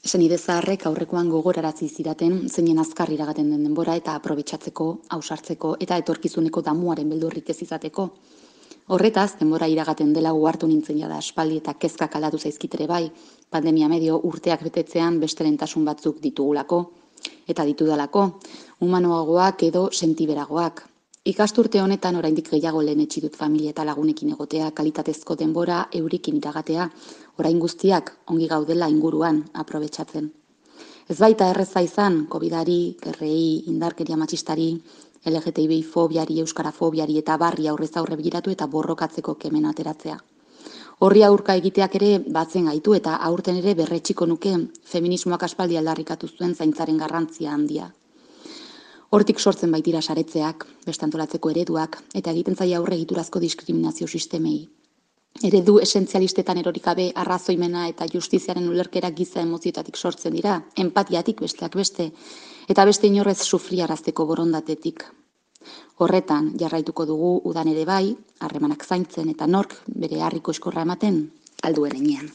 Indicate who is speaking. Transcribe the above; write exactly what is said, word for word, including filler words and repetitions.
Speaker 1: Senide zaharrek aurrekoan gogorarazi zidaten zeinen azkar iragaten den denbora eta aprobetxatzeko, ausartzeko eta etorkizuneko damuaren beldurrik ez izateko. Horretaz, denbora iragaten dela uhartu nintzen jada aspaldi eta kezkak aldatu zaizkitere bai, pandemia medio urteak betetzean beste lehentasun batzuk ditugulako, eta ditudalako, humanoagoak edo sentiberagoak. Ikasturte honetan oraindik gehiago lehenetsi dut familia eta lagunekin egotea, kalitatezko denbora eurikin iragatea, orain guztiak ongi gaudela inguruan aprobetxatzen. Ez baita erreza izan, COVIDari, gerrei, indarkeria matxistari, L G T B I fobiari, euskarafobiari eta barri aurrez aurre begiratu eta borrokatzeko kemen ateratzea. Horri aurka egiteak ere batzen gaitu eta aurten ere berretxiko nuke feminismoak aspaldi aldarrikatu zuen zaintzaren garrantzia handia. Hortik sortzen baitira saretzeak, beste antolatzeko ereduak, eta egiten zaila aurre egiturazko diskriminazio sistemei. Eredu esentzialistetan erorik gabe arrazoimena eta justiziaren ulerkera giza emozioetatik sortzen dira, empatiatik besteak beste, eta beste inorrez sufriarazteko borondatetik. Horretan jarraituko dugu udan ere bai, harremanak zaintzen eta nork bere harriko eskorra ematen alduen enean.